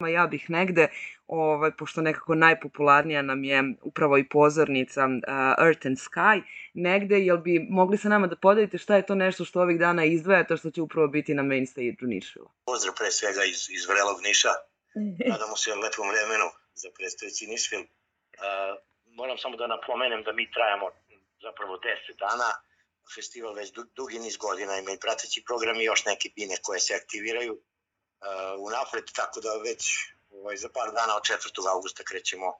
Ja bih negde, pošto nekako najpopularnija nam je upravo i pozornica Earth and Sky, negde, jel bi mogli sa nama da podelite šta je to nešto što ovih dana izdvajate, što će upravo biti na main stage-u Nišvila? Pozdrav pre svega iz vrelog Niša. Nadamo se lepom vremenu za predstojeći Nišvil. Moram samo da napomenem da mi trajamo zapravo 10 dana. Festival već dugi niz godina ima i prateći program i još neke bine koje se aktiviraju unapred, tako da već za par dana od 4. augusta krećemo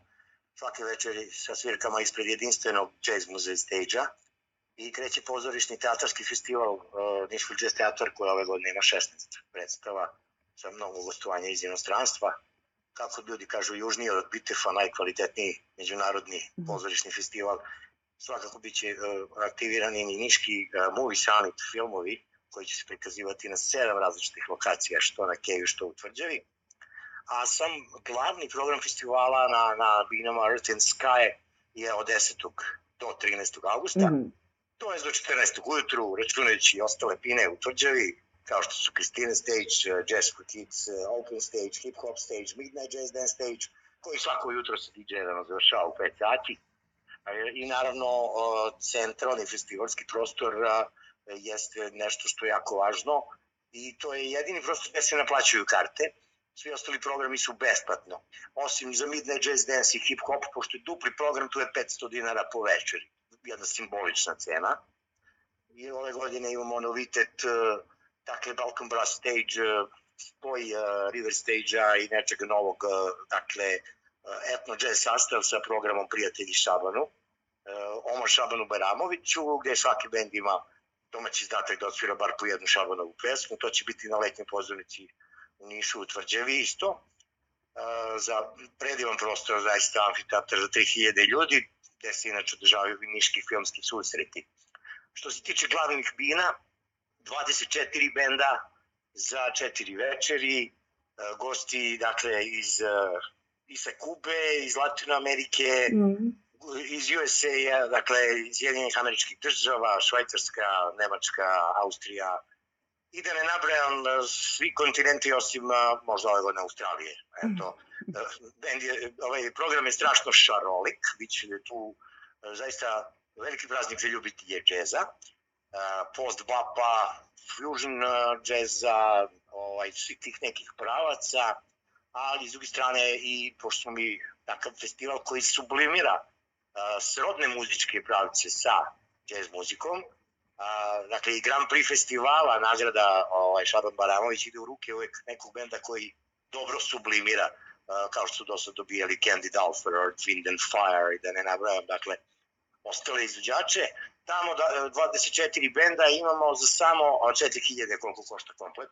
svake večeri sa svirkama ispred jedinstvenog jazz muzej stage-a i kreće pozorišni teatarski festival Nišvil Jazz Teatar koji ove godine ima 16 predstava sa mnogo gostovanja iz inostranstva. Kako ljudi kažu, južniji od Bitefa, najkvalitetniji međunarodni pozorišni festival. Svakako biće aktivirani i niški movie summit filmovi koji će se prikazivati na 7 različitih lokacija, što na Keju, što u Tvrđavi. A sam glavni program festivala na binama Earth and Sky je od 10. do 13. augusta. To je do 14. ujutru, računajući i ostale bine u Tvrđavi, kao što su Christina Stage, Jazz for Kids, Open Stage, Hip Hop Stage, Midnight Jazz Dance Stage, koji svako jutro se DJ-evano završava u 5 sati. I naravno, centralni festivalski prostor jeste nešto što je jako važno i to je jedini prostor gde se naplaćuju karte. Svi ostali programi su besplatno. Osim za Midnight Jazz Dance i Hip Hop, pošto je dupli program, tu je 500 dinara po večeri. Jedna simbolična cena. I ove godine imamo novitet, dakle, Balkan Brass Stage, spoj River Stage-a i nečega novog, dakle, etno jazz sastav sa programom Prijatelji Šabanu, Omar Šabanu Baramoviću, gde svaki bend ima domaći izdatak da odsvira bar po jednu Šabanovu pesmu. To će biti na letnjoj pozornici u Nišu, u Tvrđavi isto. Za predivan prostor, zaista amfiteatar za 3000 ljudi, gde se inače održavaju niški filmski susreti. Što se tiče glavnih bina, 24 benda za 4 večeri, gosti, dakle, iz Kube, iz Latinoamerike, iz USA, dakle, iz Sjedinjenih Američkih Država, Švajcarska, Nemačka, Austrija, i da ne nabrajam svi kontinenti osim možda ove godine Australije. Eto, program je strašno šarolik, bit će tu zaista veliki praznik za ljubitelje džeza, post-bapa, fusion džeza, svih tih nekih pravaca, ali s druge strane i pošto smo mi takav festival koji sublimira srodne muzičke pravce sa jazz muzikom, dakle i Grand Prix festivala, nagrada Šaban Baramović ide u ruke uvek nekog benda koji dobro sublimira, kao što su dosad dobijali Candy Dulfer, Earth, Wind and Fire i da ne nabrajam, dakle, ostale izvođače. Tamo 24 benda imamo za samo 4000 koliko košta komplet.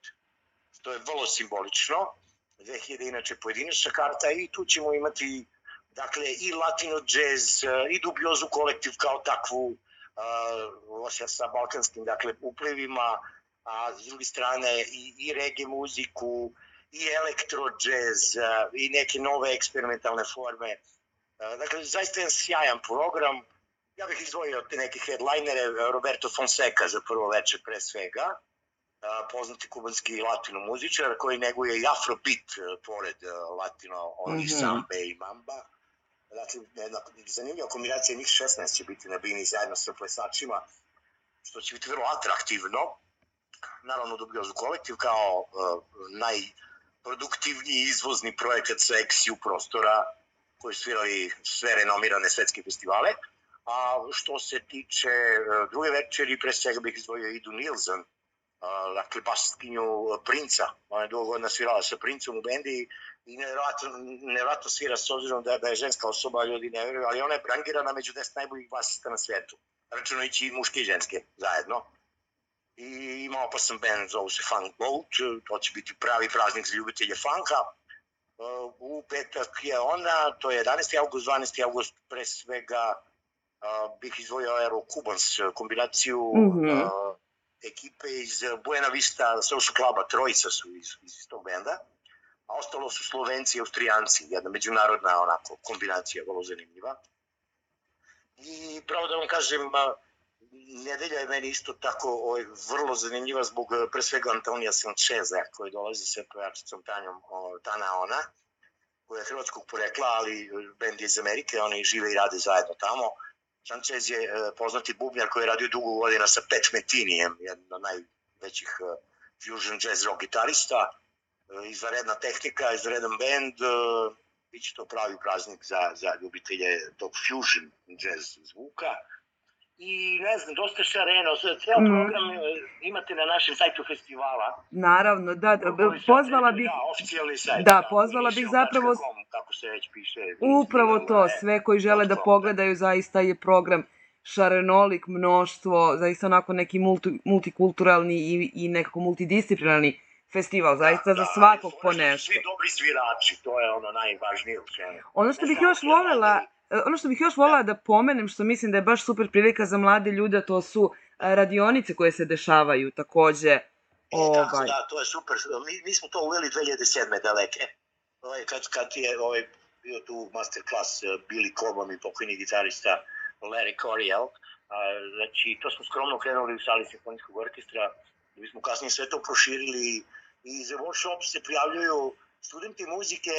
To je vrlo simbolično. 2000 inače pojedinačna karta i tu ćemo imati, dakle, i latino jazz, i dubiozu kolektiv kao takvu, sa balkanskim, dakle, uplivima, a s druge strane i reggae muziku, i elektro jazz, i neke nove eksperimentalne forme. Dakle, zaista je sjajan program. Ja bih izdvojio te neke headlinere, Roberto Fonseca za prvo večer pre svega, poznati kubanski latino muzičar koji neguje i afrobeat pored latino, onih sambe i mamba. Dakle, zanimljiva kombinacija njih 16 će biti na bini zajedno sa plesačima, što će biti vrlo atraktivno. Naravno, dubiozu kolektiv kao najproduktivniji izvozni projekat sa XU prostora koji svirali sve renomirane svetske festivale. A što se tiče druge večeri, pre svega bih izdvojio Idu Nilsson, dakle, basistkinju Princa. Ona je dugo godina svirala sa Princom u bendi i nevjerojatno svira s obzirom da je ženska osoba, ljudi ne vjeruju, ali ona je rangirana među 10 najboljih basista na svijetu, računajući i muške i ženske zajedno. I ima opasan band, zovu se Funk Boat, to će biti pravi praznik za ljubitelje funka. U petak je ona, to je 11. august, 12. august, pre svega bih izdvojio Aero Cubans, kombinaciju ekipe iz Buena Vista Social Cluba, trojica su iz tog benda, a ostalo su Slovenci i Austrijanci, jedna međunarodna onako kombinacija, vrlo zanimljiva. I pravo da vam kažem, nedelja je meni isto tako vrlo zanimljiva zbog pre svega Antonija Sancheza koji dolazi sa pevačicom Tana Ona, koja je hrvatskog porekla, ali bend je iz Amerike, oni žive i rade zajedno tamo. Sanchez je poznati bubnjar koji je radio dugo godina sa Pat Metinijem, jedan od najvećih fusion jazz rock gitarista, izvanredna tehnika, izvanredan bend, biće to pravi praznik za ljubitelje tog fusion jazz zvuka. I ne znam, dosta šareno, ceo program imate na našem sajtu festivala. Naravno, da, pozvala bih... Oficijalni sajt. Da, pozvala bih zapravo... Kako se već piše. Upravo to, sve koji žele da pogledaju, zaista je program šarenolik, mnoštvo, zaista onako neki multikulturalni i nekako multidisciplinarni festival, zaista za svakog po nešto. Svi dobri svirači, to je ono najvažnije u svemu. Ono što bih još voljela da pomenem, što mislim da je baš super prilika za mlade ljude, to su radionice koje se dešavaju takođe. Tako da, to je super. Mi smo to uveli 2007. daleke. Kad je bio tu masterclass Billy Cobham i pokojni gitarista Larry Coryell, znači to smo skromno krenuli u sali simfonijskog orkestra, da bismo kasnije sve to proširili i za workshop se prijavljuju studenti muzike,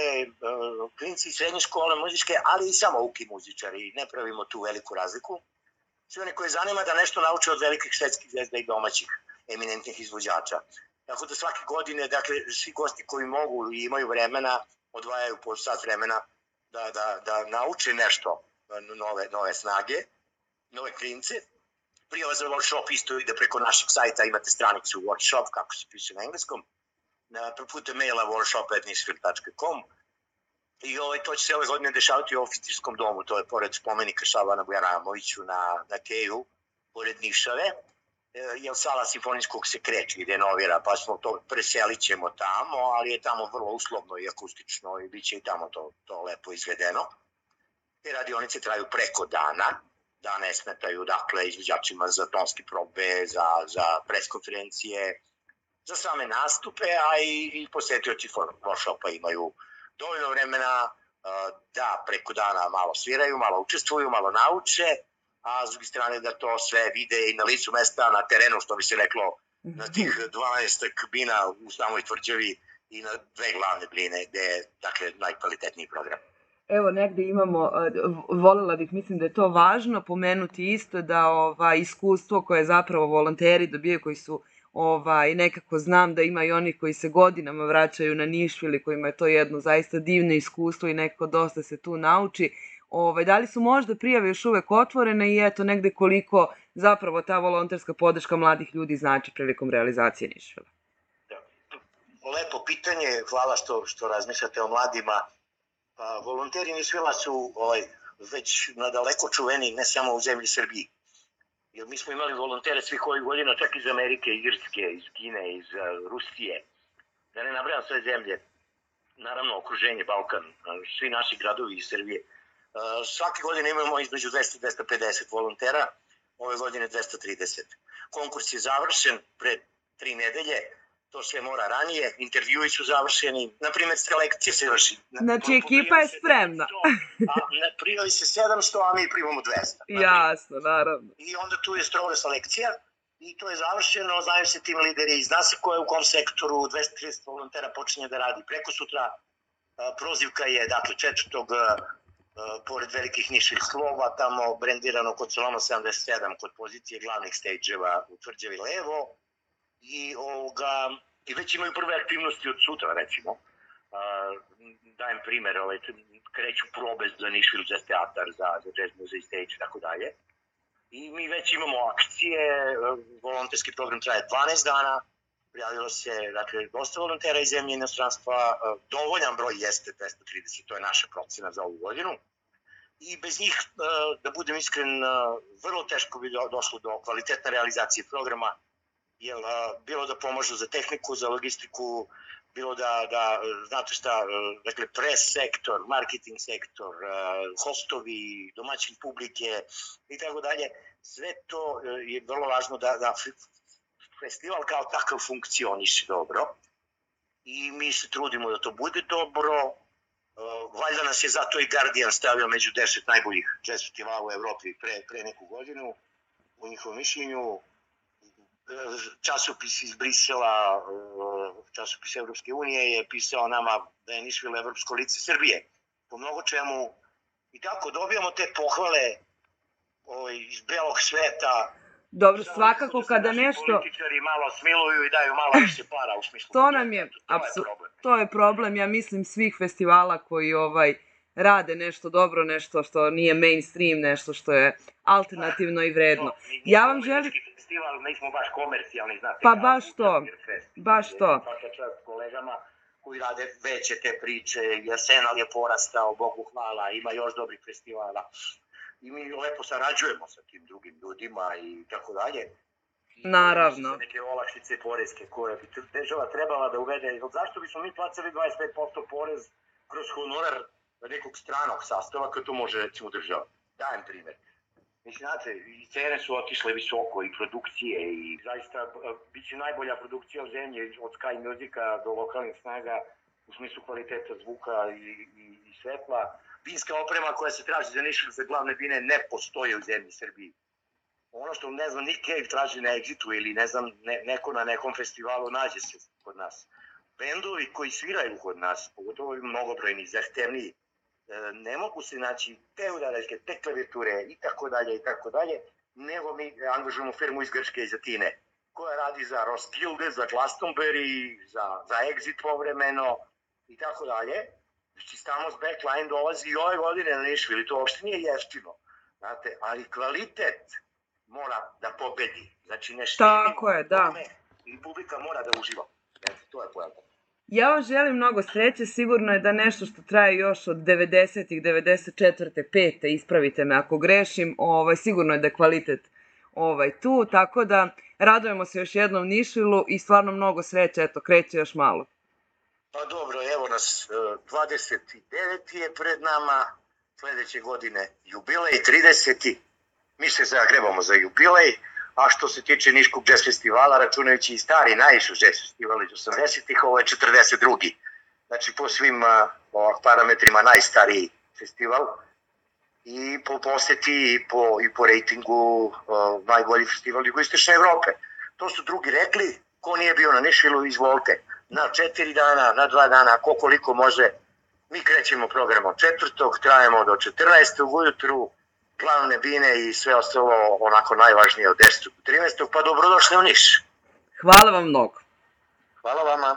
klinci srednje škole muzičke, ali i samouki muzičari, ne pravimo tu veliku razliku. Sve one koje zanima da nešto nauče od velikih svetskih zvezda i domaćih eminentnih izvođača. Tako da svake godine, dakle, svi gosti koji mogu i imaju vremena, odvajaju po sat vremena da nauče nešto, nove snage, nove klince. Prijava za workshop isto ide preko našeg sajta, imate stranicu workshop, kako se piše na engleskom, putem maila workshop@nisfil.com. I to će se ove godine dešavati u oficirskom domu, to je pored spomenika Šabana Bujaramoviću na Teju, pored Nišave, jer sala simfonijskog se kreće i renovira, pa smo to preselit ćemo tamo, ali je tamo vrlo uslovno i akustično i bit će i tamo to lepo izvedeno. Te radionice traju preko dana, da ne smetaju dakle izvođačima za tonske probe, za preskonferencije, za same nastupe, a i posetioci workshopa imaju dovoljno vremena da preko dana malo sviraju, malo učestvuju, malo nauče, a s druge strane da to sve vide i na licu mesta, na terenu, što bi se reklo, na tih 12 kabina u samoj Tvrđavi i na 2 glavne bline, gde je, dakle, najkvalitetniji program. Evo, negde imamo, voljela bih, mislim da je to važno pomenuti isto da iskustvo koje zapravo volonteri dobijaju, koji su nekako znam da ima i oni koji se godinama vraćaju na Nišvil i kojima je to jedno zaista divno iskustvo i nekako dosta se tu nauči. Da li su možda prijave još uvek otvorene i eto negde koliko zapravo ta volonterska podrška mladih ljudi znači prilikom realizacije Nišvila? Lepo pitanje, hvala što razmišljate o mladima. Volonteri Nišvila su već nadaleko čuveni ne samo u zemlji Srbiji. Jer mi smo imali volontere svih ovih godina, čak iz Amerike, Irske, iz Kine, iz Rusije. Da ne nabrajam sve zemlje. Naravno, okruženje, Balkan, svi naši gradovi iz Srbije. Svake godine imamo između 200 i 250 volontera, ove godine 230. Konkurs je završen pre 3 nedelje, to sve mora ranije, intervjui su završeni, na primjer selekcija se vrši. Znači ekipa je spremna. Prijavi se 700, a mi primamo 200. Jasno, naravno. I onda tu je stroga selekcija i to je završeno, znaju se tim lideri, zna se ko je u kom sektoru, 230 volontera počinje da radi preko sutra, prozivka je, dakle, 4. pored velikih niših slova, tamo brendirano kod Soloma 77, kod pozicije glavnih stage-eva u Tvrđavi levo, i već imaju prve aktivnosti od sutra, recimo. Dajem primer, kreću probe za Nišvil Jazz Teatar, za Jazz Muzej Stage i tako dalje. I mi već imamo akcije, volonterski program traje 12 dana, prijavilo se, dakle, dosta volontera iz zemlje i inostranstva, dovoljan broj jeste 230, to je naša procena za ovu godinu. I bez njih, da budem iskren, vrlo teško bi došlo do kvalitetne realizacije programa, jer bilo da pomažu za tehniku, za logistiku, bilo da, znate šta, dakle, press sektor, marketing sektor, hostovi, domaćin publike i tako dalje, sve to je vrlo važno da festival kao takav funkcioniše dobro i mi se trudimo da to bude dobro. Valjda nas je zato i Guardian stavio među 10 najboljih jazz festivala u Evropi pre neku godinu. u njihovom mišljenju. Časopis iz Brisela, časopis Evropske unije je pisao nama da je Nišvil evropsko lice Srbije po mnogo čemu i tako dobijamo te pohvale iz belog sveta. Dobro, svakako kada nešto... Političari malo smiluju i daju malo više para u smislu. To nam je, to je problem, ja mislim, svih festivala koji rade nešto dobro, nešto što nije mainstream, nešto što je alternativno i vredno. Ja vam želim... Festival, nismo baš komercijalni, znate. Pa baš to, baš to. Svaka čast kolegama koji rade veće te priče, Arsenal je porastao, Bogu hvala, ima još dobrih festivala. I mi lepo sarađujemo sa tim drugim ljudima i tako dalje. Naravno. Neke olakšice poreske koje bi država trebala da uvede. Zašto bismo mi placali 25% porez kroz honorar nekog stranog sastava kad to može recimo država? Dajem primjer. Mislim, znate, i cene su otišle visoko i produkcije i zaista bit će najbolja produkcija u zemlji od Sky Musica do lokalnih snaga u smislu kvaliteta zvuka i svetla. Vinska oprema koja se traži za Nišvil za glavne vine ne postoje u zemlji Srbiji. Ono što, ne znam, Nick Cave traži na Exitu ili, ne znam, neko na nekom festivalu nađe se kod nas. Bendovi koji sviraju kod nas, pogotovo mnogobrojni, zahtevniji, ne mogu se naći te udaraljke, te klavijature i tako dalje, nego mi angažujemo firmu iz Grčke, iz Atine, koja radi za Roskilde, za Glastonbury, za Exit povremeno i tako dalje. Znači, Stamos Backline dolazi i ove godine na Nišvil i to uopšte nije jeftino, znate, ali kvalitet mora da pobedi. Znači, ne štedimo tome i publika mora da uživa. To je pojelta. Ja vam želim mnogo sreće, sigurno je da nešto što traje još od 90-ih, 94. 5. ispravite me ako grešim, sigurno je da je kvalitet tu, tako da radujemo se još jednom Nišvilu i stvarno mnogo sreće, eto, kreće još malo. Pa dobro, evo nas, 29. je pred nama, sledeće godine jubilej, 30. Mi se zagrebamo za jubilej, a što se tiče Niškog jazz festivala, računajući i stari, najvišu jazz festival iz 80-ih, ovo je 42. Znači, po svim parametrima najstariji festival i po poseti i po rejtingu najbolji festival jugoistočne Evrope. To su drugi rekli, ko nije bio na Nišvilu, izvolite. Na 4 dana, na 2 dana, koliko može. Mi krećemo programom 4. trajemo do 14. ujutru, glavne vine i sve ostalo onako najvažnije od 10. do 13. pa dobrodošli u Niš. Hvala vam mnogo. Hvala vama.